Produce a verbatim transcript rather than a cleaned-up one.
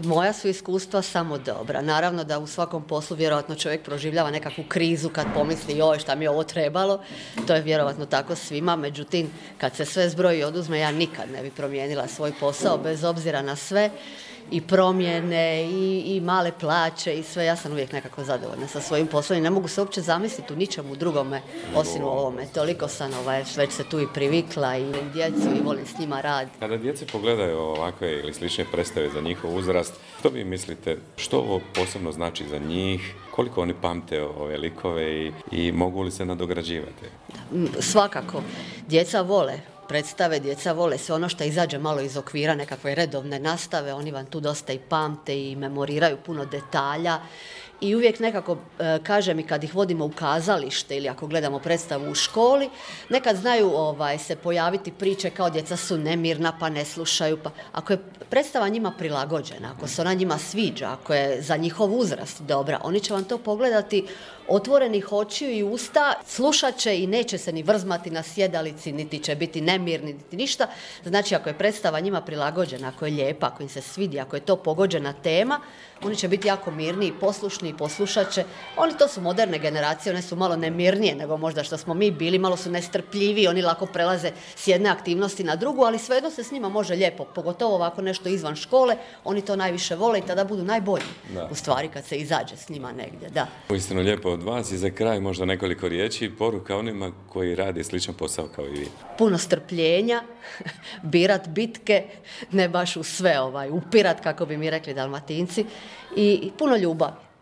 Moja su iskustva samo dobra. Naravno da u svakom poslu vjerojatno čovjek proživljava nekakvu krizu kad pomisli joj šta mi je ovo trebalo. To je vjerojatno tako svima. Međutim, kad se sve zbroji i oduzme, ja nikad ne bi promijenila svoj posao bez obzira na sve. I promjene, i, i male plaće i sve. Ja sam uvijek nekako zadovoljna sa svojim poslom i ne mogu se uopće zamisliti u ničemu drugome osim u ovome. Toliko sam ovaj, već se tu i privikla i djecu i volim s njima rad. Kada djece pogledaju ovakve ili slične predstave za njihov uzrast, što vi mislite, što ovo posebno znači za njih, koliko oni pamte ove likove i, i mogu li se nadograđivati? Svakako. Djeca vole predstave, djeca vole sve ono što izađe malo iz okvira nekakve redovne nastave, oni vam tu dosta i pamte i memoriraju puno detalja i uvijek nekako, e, kažem i kad ih vodimo u kazalište ili ako gledamo predstavu u školi, nekad znaju ovaj, se pojaviti priče kao djeca su nemirna pa ne slušaju, pa ako je predstava njima prilagođena, ako se ona njima sviđa, ako je za njihov uzrast dobra, oni će vam to pogledati otvorenih očiju i usta, slušat će i neće se ni vrzmati na sjedalici, niti će biti nemirni, niti ništa. Znači, ako je predstava njima prilagođena, ako je lijepa, ako im se svidi, ako je to pogođena tema, oni će biti jako mirni i poslušni i poslušat će. Oni to su moderne generacije, one su malo nemirnije nego možda što smo mi bili, malo su nestrpljiviji, oni lako prelaze s jedne aktivnosti na drugu, ali svejedno se s njima može lijepo, pogotovo ovako nešto izvan škole, oni to najviše vole i tada budu najbolji, da. U stvari kad se izađe s njima negdje, da. Uistinu lijepo od vas i za kraj možda nekoliko riječi, poruka onima koji rade sličan posao kao i vi. Puno strpljenja, birat bitke, ne baš u sve ovaj, upirat, kako bi mi rekli Dalmatinci, i puno ljubavi.